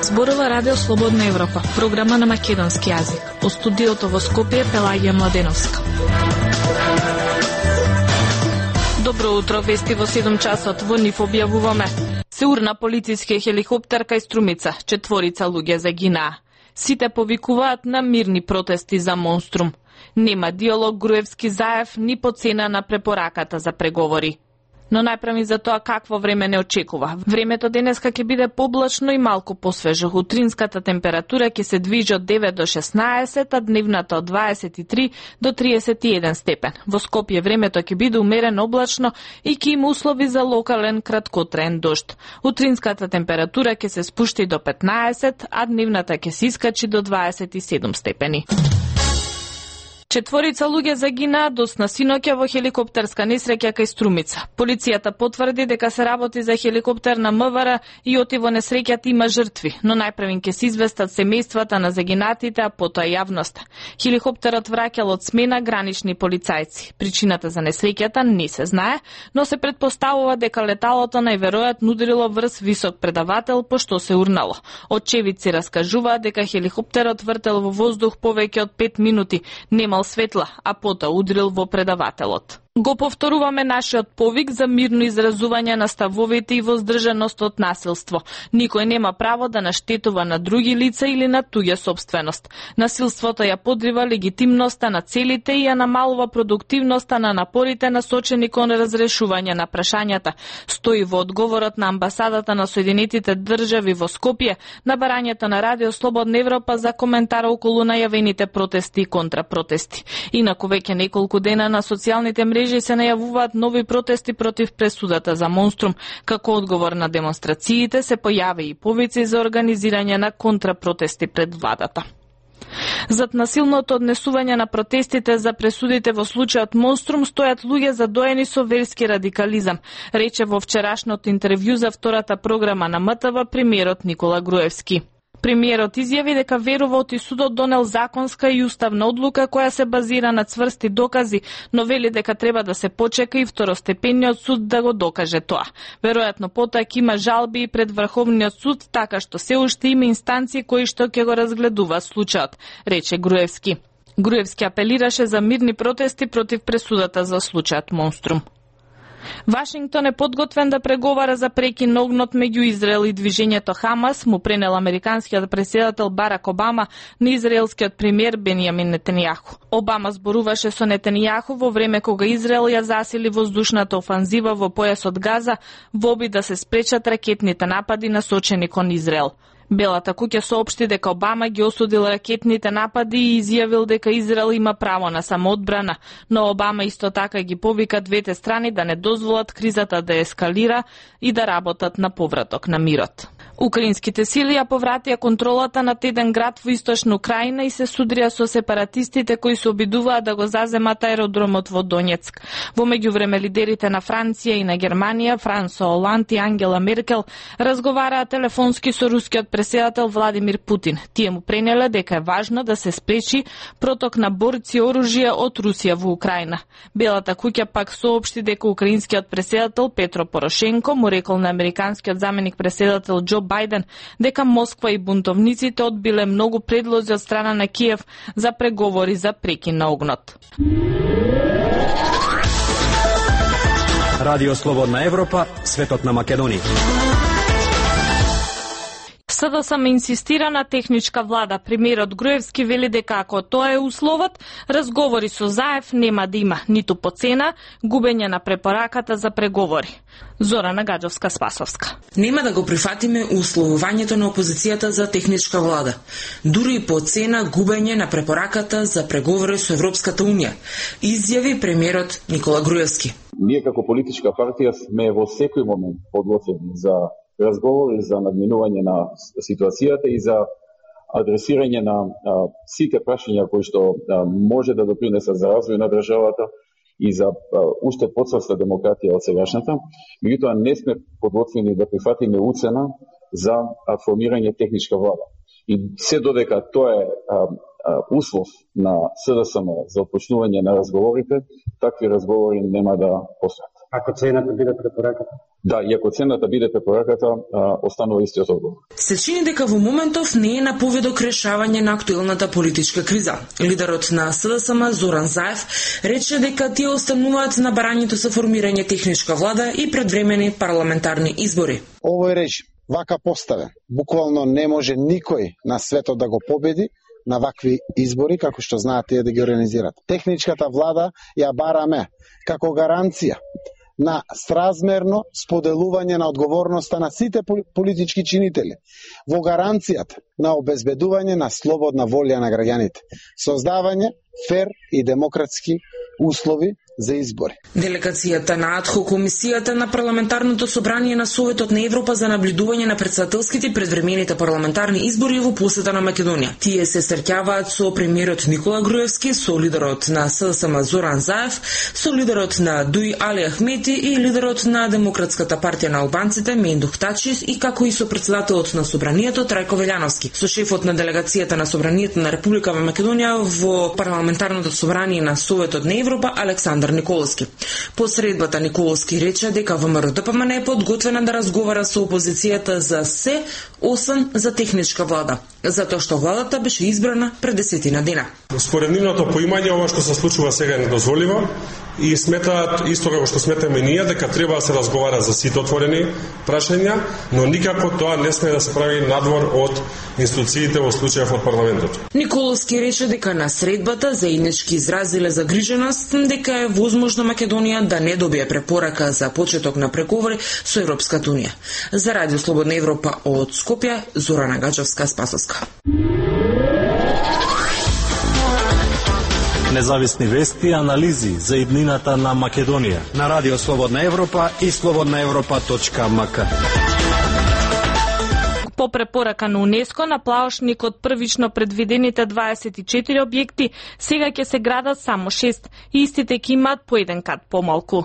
Зборува Радио Слободна Европа, програма на македонски јазик. Од студиото во Скопје Пелагија Младеновска. Добро утро, вести во 7 часот. Во нив објавуваме: се урна полициски хеликоптер кај Струмица, 4 луѓе загинаа. Сите повикуваат на мирни протести за Монструм. Нема диалог Груевски-Заев ни по цена на препораката за преговори. Но најпрами за тоа какво време не очекува. Времето денеска ќе биде поблачно и малку посвежо. Утринската температура ќе се движи од 9 до 16, а дневната од 23 до 31 степен. Во Скопје времето ќе биде умерено облачно и ќе има услови за локален краткотраен дожд. Утринската температура ќе се спушти до 15, а дневната ќе се искачи до 27 степени. 4 луѓе загинаа досна синоќа во хеликоптерска несреќа кај Струмица. Полицијата потврди дека се работи за хеликоптер на МВР и оти во несреќата има жртви, но најпрвен ќе се известат семејствата на загинатите, а потоа јавноста. Хеликоптерот враќал од смена гранични полицајци. Причината за несреќата не се знае, но се претпоставува дека леталото најверојатно ударило врз висок предавател, пошто се урнало. Очевидци раскажуваат дека хеликоптерот вртел во воздух повеќе од 5 минути, нема светла, а потоа удрил во предавателот. Го повторуваме нашиот повик за мирно изразување на ставовите и воздржаност од насилство. Никој нема право да наштетува на други лица или на туѓа собственост. Насилството ја подрива легитимноста на целите и ја намалува продуктивноста на напорите насочени кон разрешување на прашањата. Стои во одговорот на амбасадата на Соединетите држави во Скопје на барањето на Радио Слободна Европа за коментар околу најавените протести и контрапротести. Инаку веќе неколку дена на социјалните мрежи се најавуваат нови протести против пресудата за Монструм. Како одговор на демонстрациите се појави и повици за организирање на контрапротести пред владата. Зад насилното однесување на протестите за пресудите во случајот Монструм стојат луѓе задоени со верски радикализам, рече во вчерашното интервју за втората програма на МТВ премиерот Никола Груевски. Премиерот изјави дека верува оти судот донел законска и уставна одлука која се базира на цврсти докази, но вели дека треба да се почека и второстепениот суд да го докаже тоа. Веројатно потоа ќе има жалби и пред Врховниот суд, така што се уште има инстанции кои што ќе го разгледуваат случајот, рече Груевски. Груевски апелираше за мирни протести против пресудата за случајот Монструм. Вашингтон е подготвен да преговара за прекин на огнот меѓу Израел и движењето Хамас, му пренел американскиот претседател Барак Обама на израелскиот премиер Бенјамин Нетањаху. Обама зборуваше со Нетањаху во време кога Израел ја засили воздушната офанзива во појасот Газа во обид да се спречат ракетните напади насочени кон Израел. Белата куќа соопшти дека Обама ги осудил ракетните напади и изјавил дека Израел има право на самоодбрана, но Обама исто така ги повика двете страни да не дозволат кризата да ескалира и да работат на повраток на мирот. Украинските сили ја повратија контролата над еден град во источна Украина и се судрија со сепаратистите кои се обидуваат да го заземат аеродромот во Донецк. Во меѓувреме лидерите на Франција и на Германија, Франсо Оланд и Ангела Меркел, разговараа телефонски со рускиот претседател Владимир Путин. Тие му пренеле дека е важно да се спречи проток на борци оружје од Русија во Украина. Белата куќа пак соопшти дека украинскиот претседател Петро Порошенко му рекол на американскиот заменик претседател Џо Бајден дека Москва и бунтовниците одбиле многу предлози од страна на Киев за преговори за прекин на огнот. Радио Слободна Европа, светот на Македонија. СДСМ инсистира на техничка влада. Премиерот Груевски вели дека ако тоа е условот, разговори со Заев нема да има ниту по цена, губење на препораката за преговори. Зорана Гаджовска-Спасовска. Нема да го прифатиме условувањето на опозицијата за техничка влада. Дури и по цена губење на препораката за преговори со Европската Унија, изјави премиерот Никола Груевски. Ние како политичка партија сме во секој момент подготвени за разговори за надминување на ситуацијата и за адресирање на сите прашања кои што може да допринесат за развој на државата и за уште подсврста демократија од сегашната. Меѓутоа не сме подготвени да прифатиме уцена за формирање техничка влада. И се додека тоа е услов на СДСМ за отпочнување на разговорите, такви разговори нема да постојат. Ако цената биде препораката? Да, и ако цената биде препораката, останува истиот одговор. Се чини дека во моментов не е на поведок решавање на актуелната политичка криза. Лидерот на СДСМ Зоран Заев рече дека тие остануваат на барањето за формирање техничка влада и предвремени парламентарни избори. Овој режим, вака поставен, буквално не може никој на светот да го победи на вакви избори, како што знаат тие да ги организират. Техничката влада ја бараме како гаранција на сразмерно споделување на одговорноста на сите политички чинители, во гаранцијата на обезбедување на слободна волја на граѓаните, создавање фер и демократски услови за избори. Делегацијата на АДХО комисијата на парламентарното собрание на Советот на Европа за наблюдување на претседателските и предвремените парламентарни избори во посета на Македонија. Тие се среќаваат со премиерот Никола Груевски, со лидерот на СДСМ Зоран Заев, со лидерот на ДУИ Али Ахмети и лидерот на Демократската партија на албанците Мендух Тачис и како и со претседателот на собранието Трајко Велјановски, со шефот на делегацијата на собранието на Република Македонија во парламентарното собрание на Советот на Европа Александар Николовски. По средбата Николовски рече дека ВМРО ДПМН е подготвена да разговара со опозицијата за се, освен за техничка влада, затоа што владата беше избрана пред 10 дена. Според нивното поимање, ова што се случува сега е недозволиво и сметаат, исто како што сметаме ние, дека треба да се разговара за сите отворени прашања, но никако тоа не сме да се прави надвор од институциите во случајов од парламентот. Николовски рече дека на средбата заеднички изразиле загриженост дека е возможно Македонија да не добие препорака за почеток на преговори со Европската унија. За Радио Слободна Европа од Скопје, Зорана Гаџевска-Спасовска. Независни вести и анализи за иднината на Македонија на Радио Слободна Европа и slobodnaevropa.mk. По препорака на УНЕСКО на плавошникот првично предвидените 24 објекти сега ќе се градат само 6 и истите ќе имаат по еден кат помалку.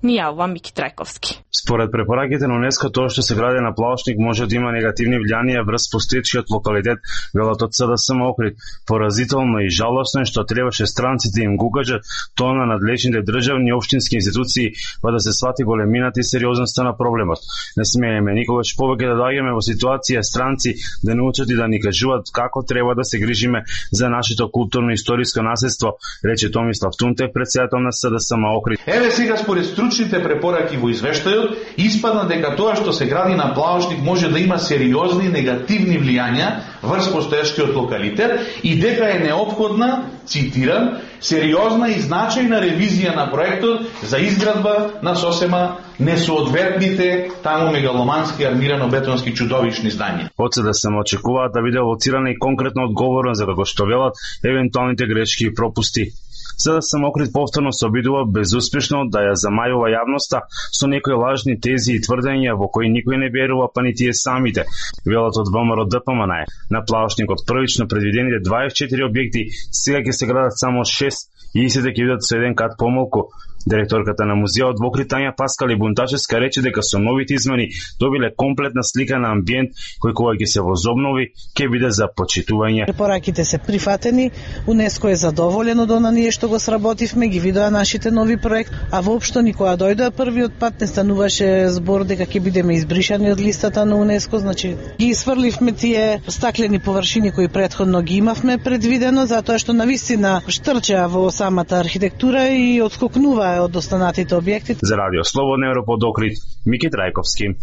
Ни јавува Мики Трајковски. Според препораките на УНЕСКО, тоа што се гради на плавошник може да има негативни влијанија врз постоечкиот локалитет, велат од СДСМ Охрид. Поразително и жалосно е што требаше странците им го укажат тоа на надлежните државни и општински институции, па да се свати големината и сериозноста на проблемот. Не смееме никогаш повеќе да доаѓаме во ситуација странци да научат и да ни кажуваат како треба да се грижиме за нашето културно-историско наследство, рече Томислав Тунтев, председател на СДСМ Охрид. Еве сега според стручните препораки во извештајот испадна дека тоа што се гради на плавошник може да има сериозни негативни влијања врз постоечкиот локалитет и дека е неопходна, цитирам, сериозна и значајна ревизија на проектот за изградба на сосема несоодветните таму мегаломански армирано-бетонски чудовишни здања. Од СДСМ очекуваат да биде лоцирана и конкретно одговорна за како што велат евентуалните грешки и пропусти. СДСМ Охрид повторно се обидува безуспешно да ја замајува јавноста со некои лажни тези и тврдења во кои никој не верува, па ни тие самите. Велат од ВМРО ДПМН на плавошникот првично предвидените 24 објекти сега ќе се градат само 6 и истите ќе бидат со еден кат помалку. Директорката на музеот во Охрид Тања Паскали Бунтачевска рече дека со новите измени добиле комплетна слика на амбиент кој кога ќе се возобнови ќе биде за почитување. Препораките се прифатени, УНЕСКО е задоволено од она ние што го сработивме, ги видоа нашите нови проекти, а воопшто никога дојдоа првиот пат не стануваше збор дека ќе бидеме избришани од листата на УНЕСКО, значи ги сврливме тие стаклени површини кои претходно ги имавме предвидено, затоа што навистина штрча во самата архитектура и отскокнува од останатите објекти. За Радио Слободна Европа од Охрид, Мики Трајковски.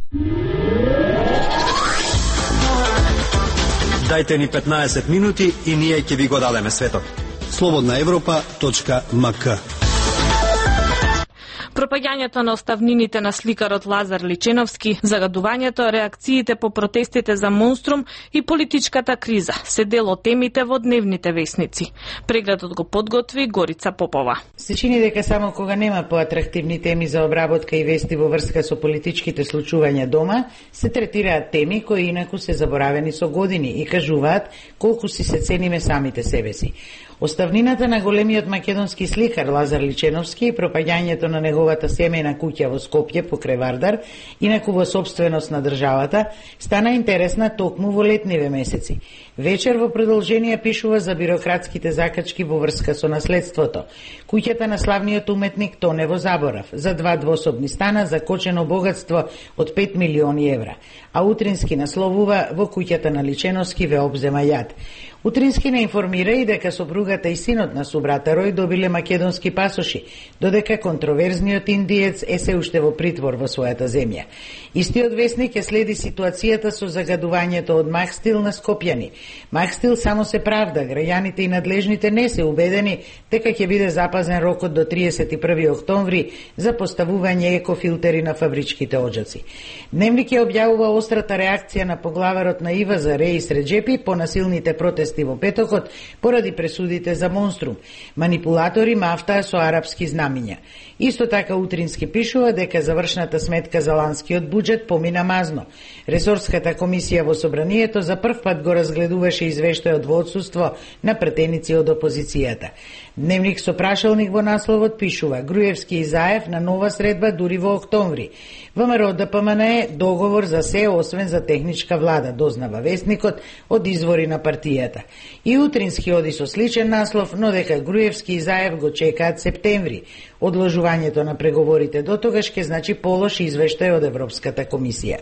Дајте ни 15 минути и ние ќе ви го дадеме светот. slobodnaevropa.mk. Пропаѓањето на оставнините на сликарот Лазар Личеновски, загадувањето, реакциите по протестите за Монструм и политичката криза се дел од темите во дневните весници. Прегледот го подготви Горица Попова. Се чини дека само кога нема поатрактивни теми за обработка и вести во врска со политичките случувања дома, се третираат теми кои инаку се заборавени со години и кажуваат колку си се цениме самите себе си. Оставнината на големиот македонски сликар Лазар Личеновски и пропаѓањето на неговата семејна куќа во Скопје покрај Вардар, инаку во сопственост на државата, стана интересна токму во летниве месеци. Вечер во продолжение пишува за бирократските закачки во врска со наследството. Куќата на славниот уметник тоне во заборав, за 2 двособни стана за кочено богатство од 5 милиони евра, а утрински насловува во куќата на Личеновски ве обзема јад. Утрински не информира и дека сопругата и синот на субрата Рој добиле македонски пасоши, додека контроверзниот индиец е се уште во притвор во својата земја. Истиот весник ја следи ситуацијата со загадувањето од Махстил на скопјани. Махстил само се правда, граѓаните и надлежните не се убедени дека ќе биде запазен рокот до 31 октомври за поставување екофилтери на фабричките оџаци. Дневник ја објавува острата реакција на поглаварот на ИВА за Реис Реджепи по насилните протести во петокот поради пресудите за Монструм. Манипулатори мафтаа со арапски знамиња. Исто така утрински пишува дека завршната сметка за ланскиот буџет помина мазно. Ресорската комисија во собранието за прв пат го разгледуваше извештајот во отсуство на претеници од опозицијата. Дневник со прашалник во насловот пишува: Груевски и Заев на нова средба дури во октомври. ВМРО ДПМН е договор за се освен за техничка влада, дознава вестникот од извори на партијата. И утрински оди со сличен наслов, но дека Груевски и Заев го чекаат септември. Одложувањето на преговорите до тогаш ќе значи полош извештај од Европската комисија.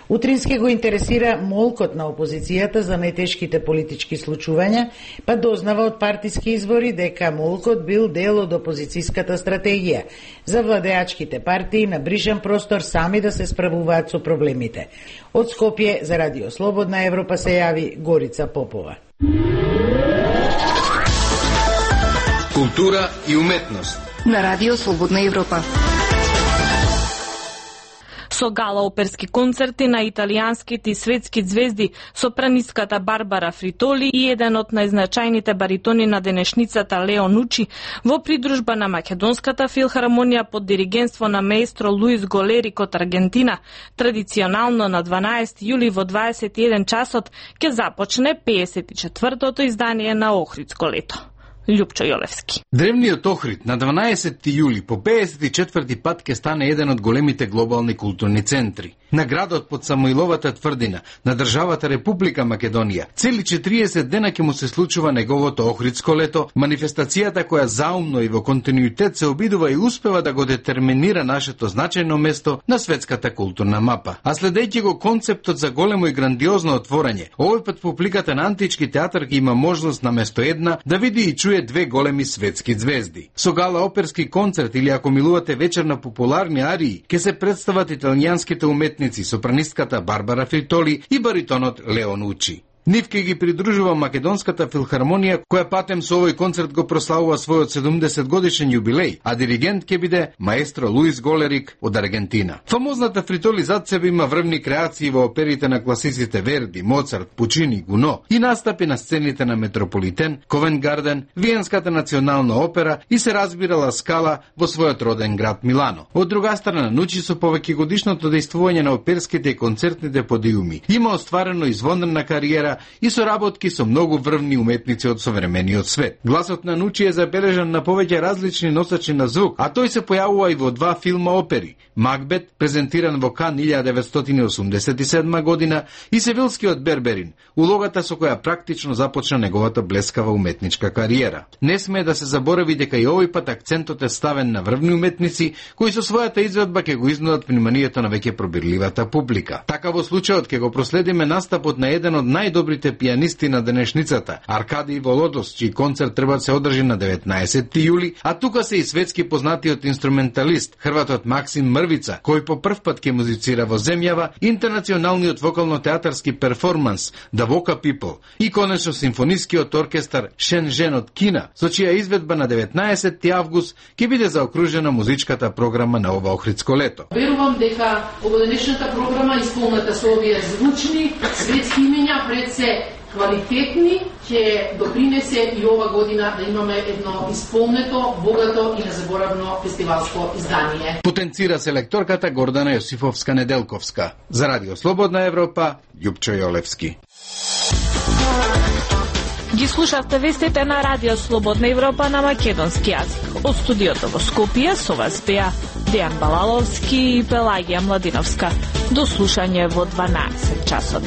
Утрински го интересира молкот на опозицијата за најтешките политички случувања, па дознава од партиски извори дека молкот бил дел од опозицијската стратегија за владеачките партии на бришен простор сами да се справуваат со проблемите. Од Скопје за Радио Слободна Европа се јави Горица Попова. Култура и уметност на Радио Слободна Европа. Со гала оперски концерти на италијанските и светски звезди, сопранистката Барбара Фритоли и еден од најзначајните баритони на денешницата Лео Нучи, во придружба на Македонската филхармонија под диригентство на маестро Луис Голерик од Аргентина, традиционално на 12 јули во 21 часот ќе започне 54-тото издание на Охридско лето. Љупчо Јолевски. Древниот Охрид на 12 јули по 54 пат ќе стане еден од големите глобални културни центри. На градот под Самоиловата тврдина, на државата Република Македонија, цели 40 дена ќе му се случува неговото Охридско лето, манифестацијата која заумно и во континуитет се обидува и успева да го детерминира нашето значајно место на светската културна мапа. А следејќи го концептот за големо и грандиозно отворање, овој пат публиката на антички театар ќе има можност наместо една да види и чуе две големи светски звезди. Со гала оперски концерт или ако милувате вечер на популарни арии, ќе се представат италијанските уметници, сопранистката Барбара Фритоли и баритонот Лео Нучи. Нив ќе ги придружува Македонската филхармонија, која патем со овој концерт го прославува својот 70 годишен јубилеј, а диригент ќе биде маестро Луис Голерик од Аргентина. Фамозната Фритоли зад себе има врвни креации во оперите на класиците Верди, Моцарт, Пучини, Гуно и настапи на сцените на Метрополитен, Ковент Гарден, Виенската национална опера и се разбира Ла Скала во својот роден град Милано. Од друга страна, Нучи со повеќе годишното дејствување на оперските и концертните подиуми има остварено извонредна кариера и соработки со многу врвни уметници од современиот свет. Гласот на Нучи е забележан на повеќе различни носачи на звук, а тој се појавува и во 2 филма опери: Макбет, презентиран во Кан 1987 година, и Севилскиот Берберин, улогата со која практично започна неговата блескава уметничка кариера. Не смее да се заборави дека и овој пат акцентот е ставен на врвни уметници кои со својата изведба ќе го изнудат вниманието на веќе пробирливата публика. Така во случајот ќе го проследиме настапот на еден од најдобрите пијанисти на денешницата, Аркадиј Володос, чиј концерт треба да се одржи на 19 јули, а тука се и светски познатиот инструменталист, хрватот Максим Мрвица, кој по прв пат ќе музицира во земјава, интернационалниот вокално-театарски перформанс The Voca People и конечно симфонискиот оркестар Шенжен од Кина, со чија изведба на 19 август ќе биде заокружена музичката програма на ова Охридско лето. Верувам дека овогодишната програма исполната со овие звучни светски имења пред се квалитетни ќе допринесе и ова година да имаме едно исполнето, богато и незаборавно фестивалско издание. Потенцира селекторката Гордана Јосифовска-Неделковска. За Радио Слободна Европа, Љупчо Јолевски. Ги слушавте вестите на Радио Слободна Европа на македонски јазик. Од студиото во Скопје со вас беа Дејан Балаловски и Пелагија Младиновска. До слушање во 12 часот.